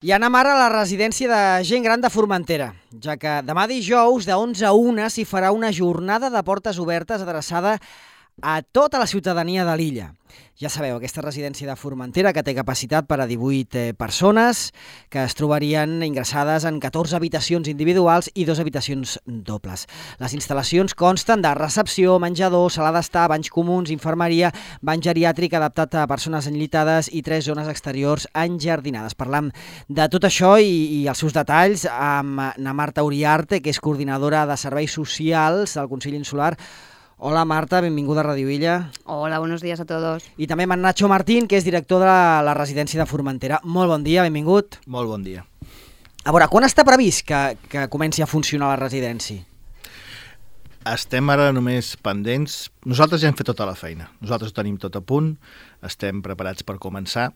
I anem ara a la residència de gent gran de Formentera, ja que demà dijous de 11 a 1 s'hi farà una jornada de portes obertes adreçada a tota la ciutadania de l'illa. Ja sabeu, aquesta residència de Formentera que té capacitat per a 18 persones que es trobarien ingressades en 14 habitacions individuals i 2 habitacions dobles. Les instal·lacions consten de recepció, menjador, sala d'estar, banys comuns, infermeria, bany geriàtric adaptat a persones enllitades i 3 zones exteriors enjardinades. Parlam de tot això i els seus detalls amb na Marta Uriarte, que és coordinadora de serveis socials del Consell Insular. Hola Marta, benvinguda a Radio Illa. Hola, buenos días a todos. I també amb en Nacho Martín, que és director de la residència de Formentera. Molt bon dia, benvingut. Molt bon dia. A veure, quan està previst que comenci a funcionar la residència? Estem ara només pendents. Nosaltres ja hem fet tota la feina. Nosaltres ho tenim tot a punt, estem preparats per començar,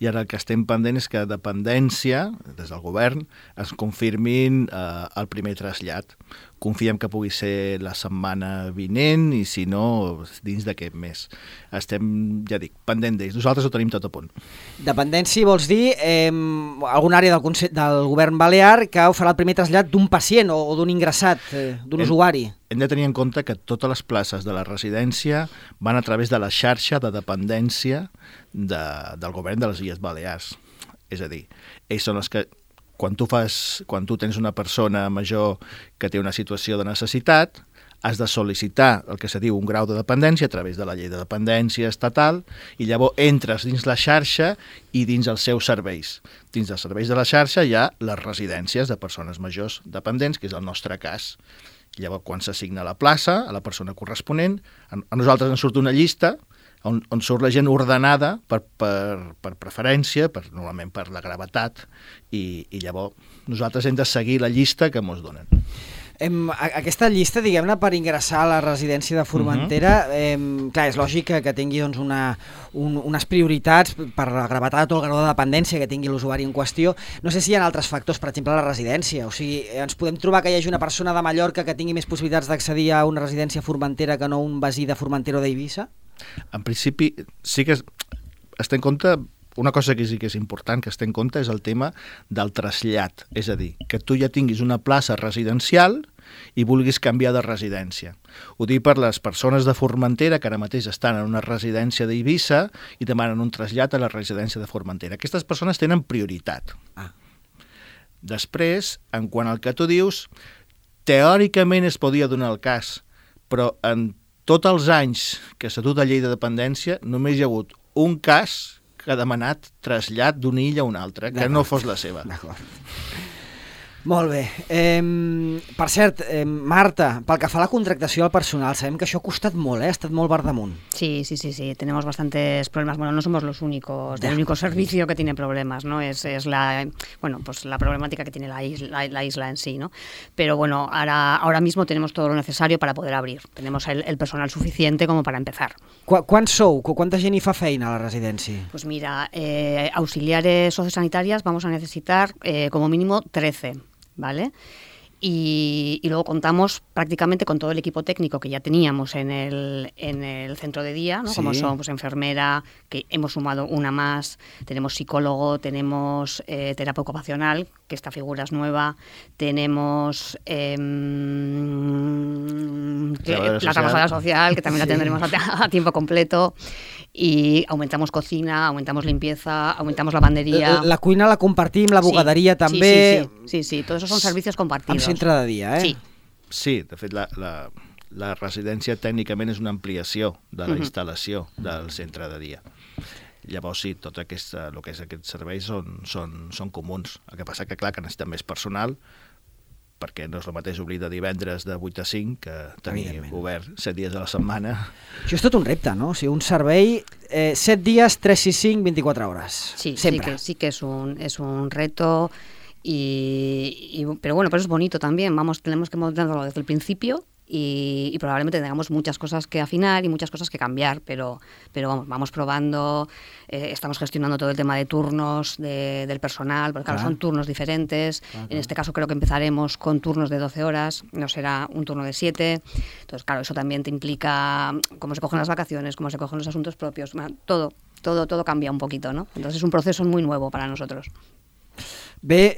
i ara el que estem pendent és que a dependència, des del govern, es confirmin el primer trasllat. Confiem que pugui ser la setmana vinent i, si no, dins d'aquest mes. Estem, ja dic, pendent d'ells. Nosaltres ho tenim tot a punt. Dependència vols dir alguna àrea del govern balear que farà el primer trasllat d'un pacient o d'un ingressat, d'un usuari? Hem de tenir en compte que totes les places de la residència van a través de la xarxa de dependència del govern de les Illes Balears. És a dir, ells són els que, quan tu tens una persona major que té una situació de necessitat, has de sol·licitar el que se diu un grau de dependència a través de la llei de dependència estatal, i llavors entres dins la xarxa i dins els seus serveis. Dins dels serveis de la xarxa hi ha les residències de persones majors dependents, que és el nostre cas. Llavors, quan s'assigna la plaça a la persona corresponent, a nosaltres ens surt una llista on surt la gent ordenada per preferència, normalment per la gravetat, i llavors nosaltres hem de seguir la llista que ens donen. Aquesta llista, diguem-ne, per ingressar a la residència de Formentera, clar, és lògic que tingui doncs, unes prioritats per la gravetat o el grau de dependència que tingui l'usuari en qüestió. No sé si hi ha altres factors, per exemple, la residència. O sigui, ens podem trobar que hi hagi una persona de Mallorca que tingui més possibilitats d'accedir a una residència a Formentera que no un veí de Formentera o d'Eivissa? En principi, sí que es té en compte. Una cosa que sí que és important que es té en compte és el tema del trasllat, és a dir, que tu ja tinguis una plaça residencial i vulguis canviar de residència. Ho dic per les persones de Formentera que ara mateix estan en una residència d'Eivissa i demanen un trasllat a la residència de Formentera. Aquestes persones tenen prioritat. Després, en quant al que tu dius, teòricament es podia donar el cas, però en tots els anys que s'ha dut a llei de dependència només hi ha hagut un cas que ha demanat trasllat d'una illa a una altra, que no fos la seva. D'acord. Molt bé. Per cert, Marta, pel que fa a la contractació del personal, sabem que això ha costat molt, ha estat molt verdamunt. Sí, tenemos bastantes problemas. Bueno, no somos los únicos, el único servicio que tiene problemas, ¿no? Es la problemática que tiene la isla en sí, ¿no? Pero bueno, ahora mismo tenemos todo lo necesario para poder abrir. Tenemos el personal suficiente como para empezar. Quants sou? Quanta gent hi fa feina a la residència? Pues mira, auxiliares sociosanitarias vamos a necesitar como mínimo 13. ¿Vale? Y luego contamos prácticamente con todo el equipo técnico que ya teníamos en el centro de día, ¿no? Sí. Como son pues, enfermera, que hemos sumado una más, tenemos psicólogo, tenemos terapia ocupacional, que esta figura es nueva, tenemos la trabajadora social, que también la tendremos a tiempo completo, i aumentamos cocina, aumentamos limpieza, aumentamos lavandería. La cuina la compartim, la bugaderia també. Sí, todos esos son servicios compartidos. Amb centre de dia, eh? Sí, de fet, la residència tècnicament és una ampliació de la instal·lació del centre de dia. Llavors sí, tot el que és aquests serveis són comuns. El que passa que, clar, que necessitem més personal, perquè no és el mateix obrir de divendres de 8 a 5 que tenir obert 7 dies a la setmana. Això és tot un repte, no? O sigui, un servei 7 dies, 3, 6, 5, 24 hores. Sí, sí que es un reto, pero bueno, pero es bonito también. Tenemos que montarlo desde el principio y probablemente tengamos muchas cosas que afinar y muchas cosas que cambiar, pero vamos probando, estamos gestionando todo el tema de turnos del personal, porque claro, son turnos diferentes. En este caso creo que empezaremos con turnos de 12 horas, no será un turno de 7. Entonces, claro, eso también te implica cómo se cogen las vacaciones, cómo se cogen los asuntos propios, todo cambia un poquito, ¿no? Entonces es un proceso muy nuevo para nosotros. Bé,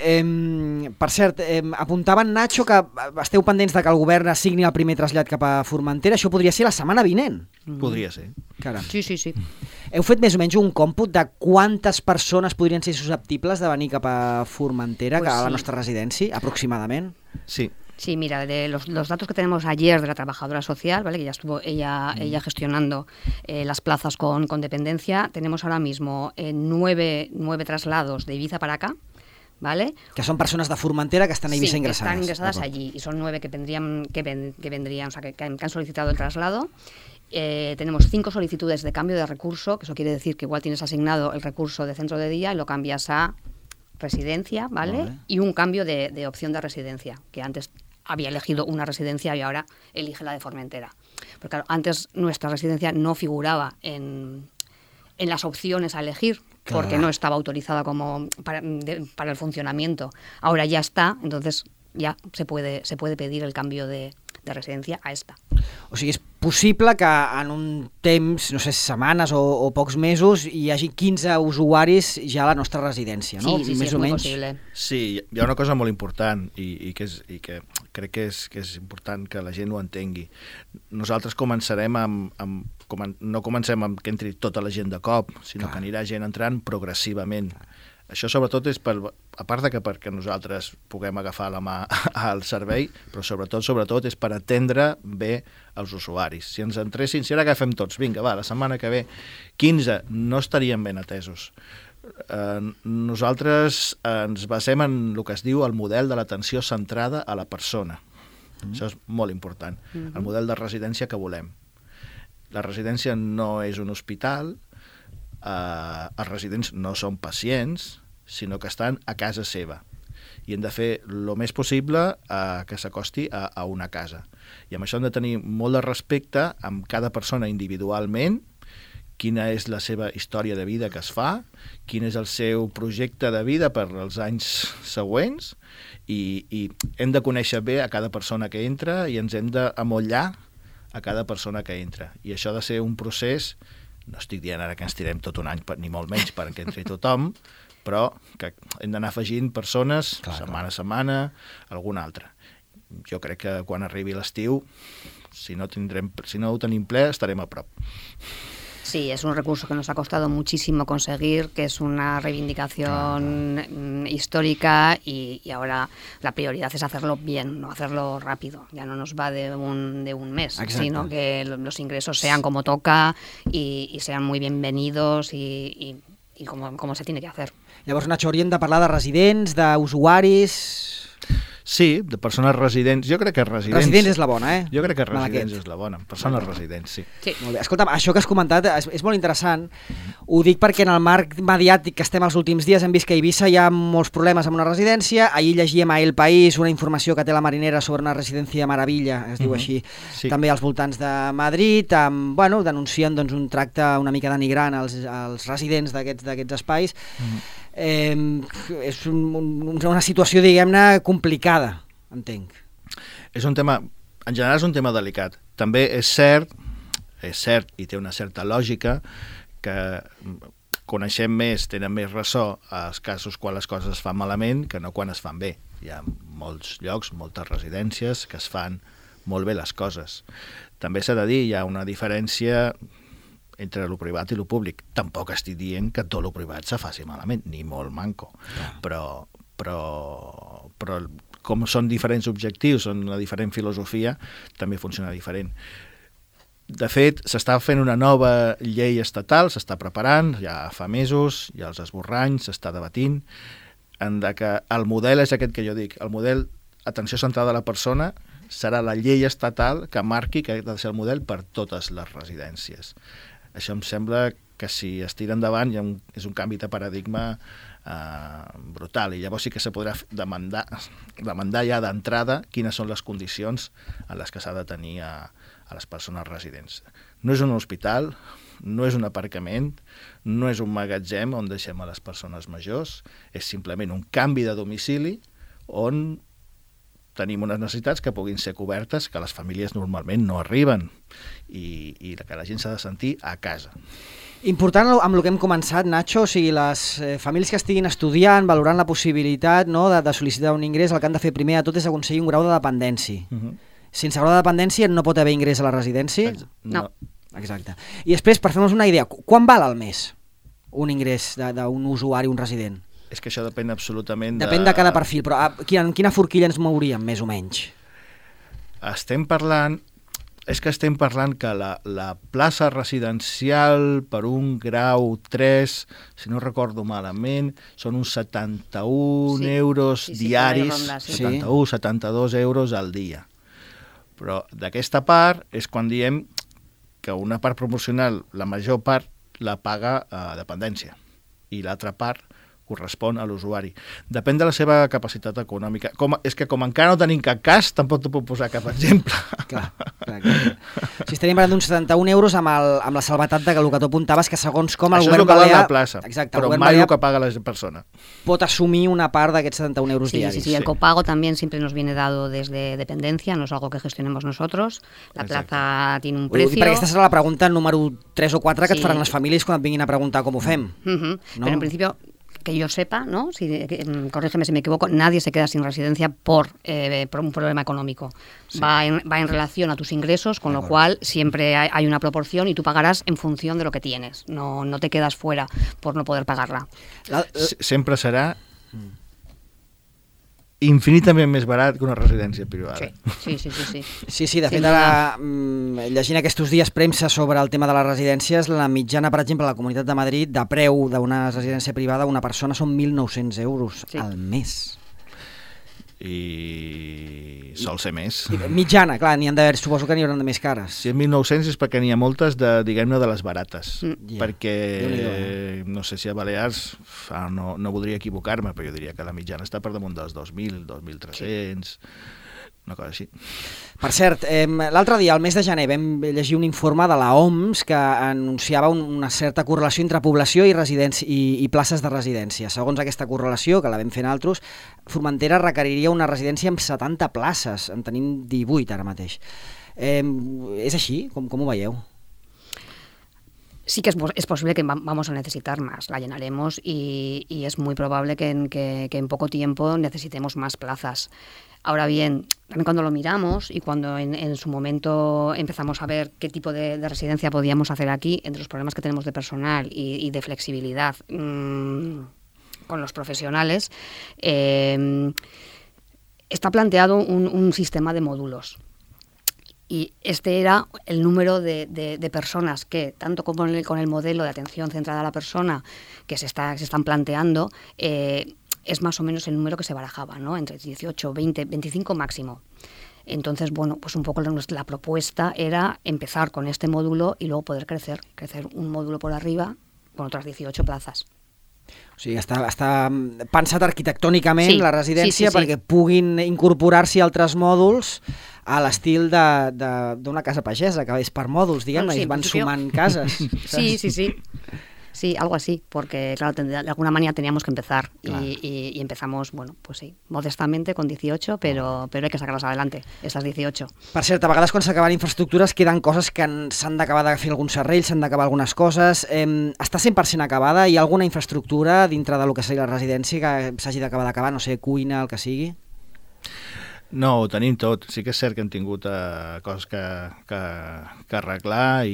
per cert, apuntava en Nacho que esteu pendents de que el govern assigni el primer trasllat cap a Formentera. Això podria ser la setmana vinent. Podria ser. Caram. Sí. Heu fet més o menys un còmput de quantes persones podrien ser susceptibles de venir cap a Formentera, Pues a la sí. nostra residència, aproximadament? Sí. Sí, mira, de los datos que tenemos ayer de la trabajadora social, ¿vale? Que ya estuvo ella gestionando las plazas con dependencia, tenemos ahora mismo 9 traslados de Ibiza para acá, ¿vale? Que són persones de Formentera que estan a Eivissa Sí, que ingressades. están ingresadas allí y son 9 que vendrían, o sea, que han solicitado el traslado. Tenemos 5 solicitudes de cambio de recurso, que eso quiere decir que igual tienes asignado el recurso de centro de día y lo cambias a residencia, ¿vale? Y un cambio de opción de residencia, que antes había elegido una residencia y ahora elige la de Formentera. Porque claro, antes nuestra residencia no figuraba en las opciones a elegir, porque no estaba autorizada como para el funcionamiento. Ahora ya está, entonces ya se puede pedir el cambio de residencia a esta. O sigui, és possible que en un temps, no sé, setmanes o pocs mesos, hi hagi 15 usuaris ja a la nostra residència, no? Sí, Més és o molt menys. possible. Sí, hi ha una cosa molt important i que crec que és important que la gent ho entengui. Nosaltres començarem no comencem amb que entri tota la gent de cop, sinó que anirà gent entrant progressivament. Això sobretot és a part de que perquè nosaltres puguem agafar la mà al servei, però sobretot és per atendre bé els usuaris. Si ens entressin, si ara agafem tots, vinga, va, la setmana que ve 15, no estarien ben atesos. Nosaltres ens basem en el que es diu el model de l'atenció centrada a la persona. Això és molt important. El model de residència que volem. La residència no és un hospital, els residents no són pacients, sinó que estan a casa seva i hem de fer el més possible que s'acosti a una casa. I amb això hem de tenir molt de respecte amb cada persona individualment, quina és la seva història de vida que es fa, quin és el seu projecte de vida per als anys següents i hem de conèixer bé a cada persona que entra i ens hem d'amollar a cada persona que entra. I això ha de ser un procés. No estic dient ara que ens tirem tot un any, ni molt menys, perquè entri tothom, però que hem d'anar afegint persones setmana a setmana, alguna altra. Jo crec que quan arribi l'estiu, si no ho tenim ple, estarem a prop. Sí, es un recurso que nos ha costado muchísimo conseguir, que es una reivindicación histórica y ahora la prioridad es hacerlo bien, no hacerlo rápido. Ya no nos va de un mes, sino que los ingresos sean como toca y sean muy bienvenidos y como se tiene que hacer. Llavors, Nacho, hauríem de parlar de residents, d'usuaris... Sí, de persones residents. Jo crec que residents... Residents és la bona, eh? Jo crec que residents és la bona. Persones residents, sí. Molt bé. Escolta'm, això que has comentat és molt interessant. Ho dic perquè en el marc mediàtic que estem els últims dies hem vist que a Eivissa hi ha molts problemes amb una residència. Ahir llegíem a El País una informació que té la Marinera sobre una residència Maravilla, es diu així, també als voltants de Madrid, denuncien un tracte una mica denigrant als residents d'aquests espais. És una situació, diguem-ne, complicada, entenc. És un tema, en general és un tema delicat. També és cert i té una certa lògica que coneixem més, tenen més ressò als casos quan les coses es fan malament que no quan es fan bé. Hi ha molts llocs, moltes residències que es fan molt bé les coses. També s'ha de dir, hi ha una diferència entre el privat i el públic. Tampoc estic dient que tot el privat se faci malament, ni molt manco. Però com són diferents objectius, són una diferent filosofia, també funciona diferent. De fet, s'està fent una nova llei estatal, s'està preparant, ja fa mesos, ja els esborranys, s'està debatint, en que el model és aquest que jo dic, el model atenció centrada a la persona serà la llei estatal que marqui que ha de ser el model per totes les residències. Això em sembla que si es tira endavant és un canvi de paradigma brutal i llavors sí que se podrà demandar ja d'entrada quines són les condicions en les que s'ha de tenir a les persones residents. No és un hospital, no és un aparcament, no és un magatzem on deixem a les persones majors, és simplement un canvi de domicili on tenim unes necessitats que puguin ser cobertes, que les famílies normalment no arriben i que la gent s'ha de sentir a casa. Important amb el que hem començat, Nacho, o sigui, les famílies que estiguin estudiant, valorant la possibilitat, no, de sol·licitar un ingrés, el que han de fer primer de tot és aconseguir un grau de dependència. Sense grau de dependència no pot haver ingrés a la residència? No. Exacte. I després, per fer-nos una idea, quan val al mes un ingrés d'un usuari, un resident? És que això depèn absolutament Depèn de cada perfil, però en quina forquilla ens mouríem, més o menys? Estem parlant que la plaça residencial per un grau 3, si no recordo malament, són uns 71 euros diaris, 71, 72 euros al dia. Però d'aquesta part és quan diem que una part proporcional, la major part, la paga a dependència i l'altra part correspon a l'usuari. Depèn de la seva capacitat econòmica. És que com encara no tenim cap cas, tampoc te puc posar cap exemple. Clar. Si estaríem parlant d'uns 71 euros amb la salvetat de que el que tu apuntaves, que segons com el govern balear... Això és el que val la plaça, exacte, però mai el que paga la persona. Pot assumir una part d'aquests 71 euros diaris. Sí, el copago también siempre nos viene dado desde dependencia, no es algo que gestionemos nosotros. La plaza tiene un precio... Perquè aquesta serà la pregunta número 3 o 4 que et faran les famílies quan et vinguin a preguntar com ho fem. ¿No? Pero en principio... que yo sepa, ¿no? Corrígeme si me equivoco, nadie se queda sin residencia por un problema económico. Sí. Va en relación a tus ingresos, con lo cual siempre hay una proporción y tú pagarás en función de lo que tienes. No te quedas fuera por no poder pagarla. Sempre serà infinitament més barat que una residència privada. Sí. Sí, de fet, ara, llegint aquests dies premsa sobre el tema de les residències, la mitjana, per exemple, a la Comunitat de Madrid, de preu d'una residència privada, una persona són 1.900 euros al mes. I sol ser més. Mitjana, clar, n'hi han d'haver, suposo que n'hi haurà de més cares. Si és 1.900 és perquè n'hi ha moltes diguem-ne, de les barates. Perquè, no sé si a Balears, no voldria equivocar-me, però jo diria que la mitjana està per damunt dels 2.000, 2.300... una cosa així. Per cert, l'altre dia, al mes de gener, vam llegir un informe de la OMS que anunciava una certa correlació entre població i places de residència. Segons aquesta correlació, que la vam fer nosaltres, Formentera requeriria una residència amb 70 places. En tenim 18 ara mateix. És així? Com ho veieu? Sí que es posible que vamos a necesitar más, la llenaremos y es muy probable que en poco tiempo necesitemos más plazas. Ahora bien, también cuando lo miramos y cuando en su momento empezamos a ver qué tipo de residencia podíamos hacer aquí, entre los problemas que tenemos de personal y de flexibilidad con los profesionales, está planteado un sistema de módulos. Y este era el número de personas que, tanto como con el modelo de atención centrada a la persona que se están planteando, es más o menos el número que se barajaba, ¿no? Entre 18, 20, 25 máximo. Entonces, bueno, pues un poco la propuesta era empezar con este módulo y luego poder crecer un módulo por arriba con otras 18 plazas. O sigui, està pensat arquitectònicament la residència perquè puguin incorporar-s'hi altres mòduls a l'estil d'una casa pagesa, que és per mòduls, diguem-ne, i es van sumant cases. Sí, algo así, porque claro, de alguna manera teníamos que empezar y empezamos, bueno, pues sí, modestamente con 18, pero hay que sacarlas adelante, esas 18. Per cert, a vegades quan s'acaben infraestructures queden coses que s'han d'acabar de fer alguns serrells, s'han d'acabar algunes coses. Està 100% acabada? Hi ha alguna infraestructura dintre del que seria la residència que s'hagi d'acabar, no sé, cuina, el que sigui? No, ho tenim tot. Sí que és cert que hem tingut coses que arreglar,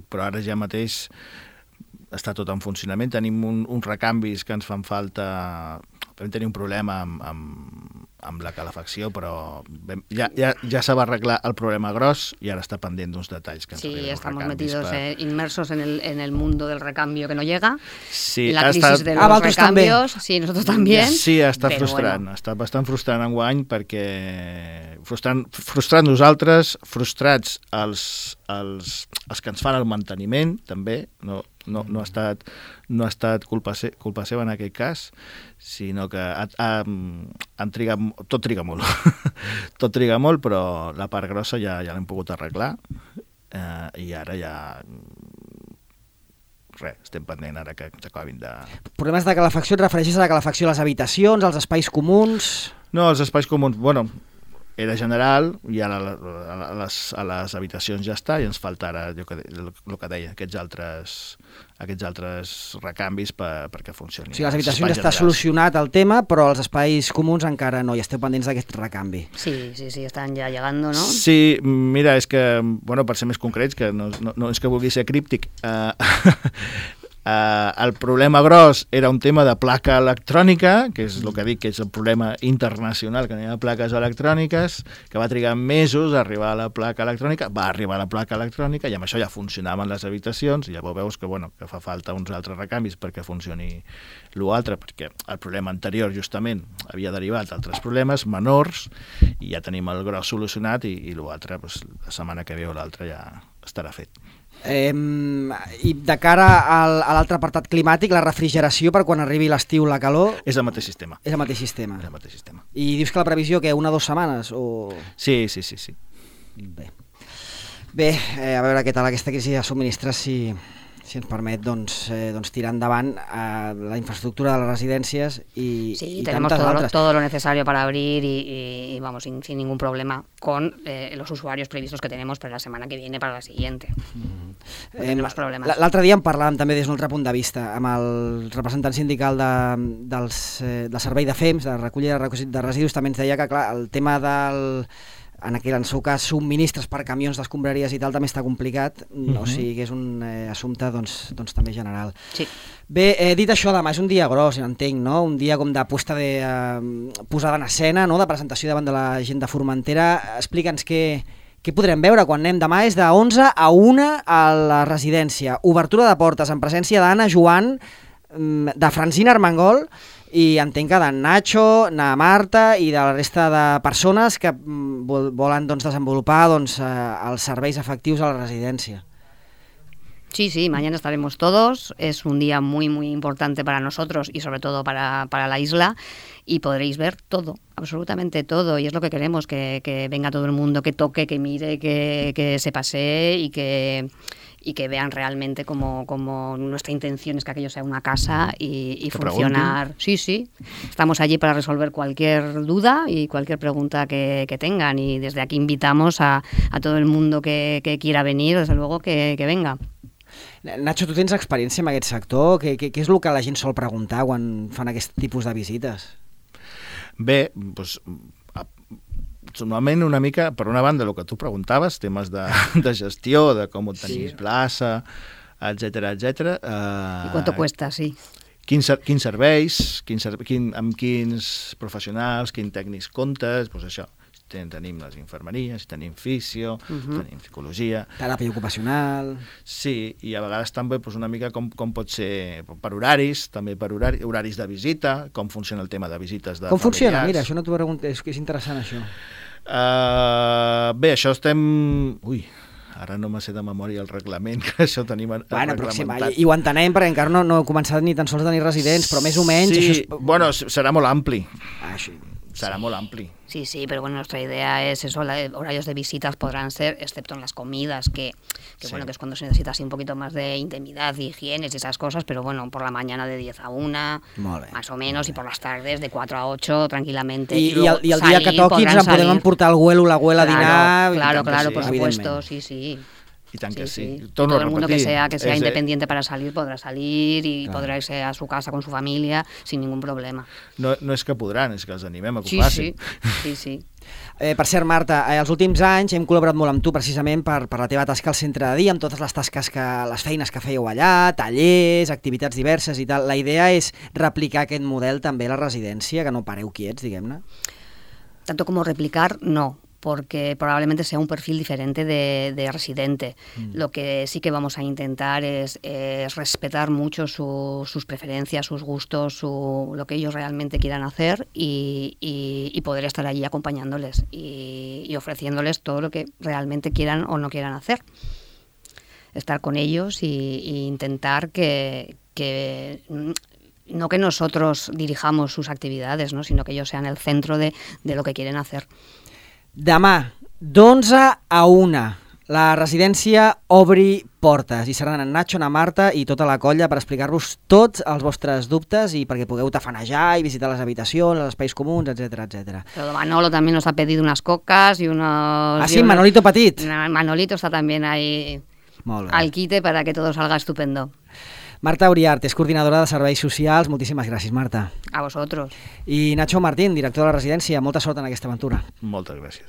però ara ja mateix està tot en funcionament. Tenim uns recanvis que ens fan falta. Vam tenir un problema amb la calefacció, però ja se va arreglar el problema gros i ara està pendent d'uns detalls que ens Sí, estamos metidos inmersos en el mundo del recambio que no llega. Sí, la crisis de los recambios. Sí, nosotros también. Sí, està frustrant. Bueno. Està bastant frustrant enguany perquè frustrant nosaltres, frustrats els que ens fan el manteniment, també. No ha estat culpa seva en aquest cas, sinó que tot triga molt. Tot triga molt, però la part grossa ja l'hem pogut arreglar i ara ja estem pendent ara que ens acabin de... Problemes de calefacció, et refereixes a la calefacció a les habitacions, als espais comuns? No, els espais comuns, bueno, era general i ara a les habitacions ja està i ens falta ara el que deia, aquests altres recanvis perquè funcioni. O sigui, les habitacions està solucionat el tema, però els espais comuns encara no, i esteu pendents d'aquest recanvi. Sí, estan ja llegando, ¿no? Sí, mira, és que, bueno, per ser més concrets, que no és que vulgui ser críptic, el problema gros era un tema de placa electrònica, que és el que dic que és el problema internacional que n'hi ha plaques electròniques, que va trigar mesos a arribar a la placa electrònica, va arribar a la placa electrònica i amb això ja funcionaven les habitacions i ja veus que, bueno, que fa falta uns altres recanvis perquè funcioni l'altre, perquè el problema anterior justament havia derivat d'altres problemes menors i ja tenim el gros solucionat i l'altre, doncs, la setmana que ve o l'altra ja estarà fet. I de cara a l'altre apartat climàtic, la refrigeració per quan arribi l'estiu, la calor... És el mateix sistema. És el mateix sistema. I dius que la previsió, que 1 o 2 setmanes? O... Sí. Bé, a veure què tal aquesta crisi de subministres, si ens permet doncs, tirar endavant la infraestructura de les residències y tenemos todo lo necesario para abrir y vamos, sin ningún problema con los usuarios previstos que tenemos para la semana que viene, para la siguiente. No tenemos problemas. L'altre dia en parlàvem també des d'un altre punt de vista amb el representant sindical del servei de FEMS, de recollida de residus, també ens deia que clar, el tema del... en el seu cas, subministres per camions d'escombraries i tal també està complicat, o sigui que és un assumpte doncs també general. Sí. Bé, dit això, demà és un dia gros, ja entenc, no? Un dia com de posada en escena, no? De presentació davant de la gent de Formentera. Explica'ns què podrem veure quan anem. Demà és de 11 a 1 a la residència. Obertura de portes en presència d'Anna Joan, de Francina Armengol, i entenc que d'en Nacho, na Marta i de la resta de persones que volen desenvolupar els serveis efectius a la residència. Sí, mañana estaremos todos. Es un día muy, muy importante para nosotros y sobre todo para la isla y podréis ver todo, absolutamente todo. Y es lo que queremos, que venga todo el mundo, que toque, que mire, que se pasee y que vean realmente como nuestra intención es que aquello sea una casa y funcionar. Sí, estamos allí para resolver cualquier duda y cualquier pregunta que tengan y desde aquí invitamos a todo el mundo que quiera venir, desde luego que venga. Nacho, tu tens experiència en aquest sector? Què és el que la gent sol preguntar quan fan aquest tipus de visites? Bé, doncs... normalment una mica, per una banda, el que tu preguntaves, temes de gestió, de com obtenir plaça, etcètera. I quanto cuesta, sí. Quins serveis, amb quins professionals, quins tècnics comptes, doncs això. Tenim les infermeries, tenim fisio, tenim psicologia... Teràpia ocupacional... Sí, i a vegades també una mica com pot ser per horaris, també per horaris de visita, com funciona el tema de visites de familiars... Com funciona? Mira, això no t'ho pregunto, és interessant això. Bé, això estem... Ui, ara no me sé de memòria el reglament, que això tenim reglamentat. I ho entenem, perquè encara no he començat ni tan sols a tenir residents, però més o menys... Sí, bueno, serà molt ampli. Sí. Será muy amplio. Sí, pero bueno, nuestra idea es eso, horarios de visitas podrán ser, excepto en las comidas, que bueno, que es cuando se necesita así un poquito más de intimidad, higienes y esas cosas, pero bueno, por la mañana de 10 a 1, más o menos, y por las tardes de 4 a 8, tranquilamente. Y el día que toquis ens podem emportar el abuelo o l'abuela a dinar... Claro, por supuesto, sí. Y tan que sí. Todo el mundo que sea independiente para salir podrá salir y podrá irse a su casa con su familia sin ningún problema. No és que podran, és que els animem a que ho facin. Sí. Per cert, Marta, els últims anys hem col·laborat molt amb tu precisament per la teva tasca al centre de dia, amb totes les tasques, les feines que fèieu allà, tallers, activitats diverses i tal. La idea és replicar aquest model també a la residència, que no pareu quiets, diguem-ne? Tanto como replicar, no, porque probablemente sea un perfil diferente de residente. Lo que sí que vamos a intentar es respetar mucho sus preferencias, sus gustos, lo que ellos realmente quieran hacer y poder estar allí acompañándoles y ofreciéndoles todo lo que realmente quieran o no quieran hacer. Estar con ellos y intentar que no que nosotros dirijamos sus actividades, ¿no? Sino que ellos sean el centro de lo que quieren hacer. Demà, d'11 a 1, La residència obri portes i seran en Nacho, na Marta i tota la colla per explicar-vos tots els vostres dubtes i perquè pugueu tafanejar i visitar les habitacions, els espais comuns, etc etc. Pero Manolo también nos ha pedido unas cocas y unos... Ah, sí, Manolito Petit. Manolito está también ahí Molt bé. al quite para que todo salga estupendo. Marta Uriart és coordinadora de serveis socials. Moltíssimes gràcies, Marta. A vosotros. I Nacho Martín, director de la residència. Molta sort en aquesta aventura. Moltes gràcies.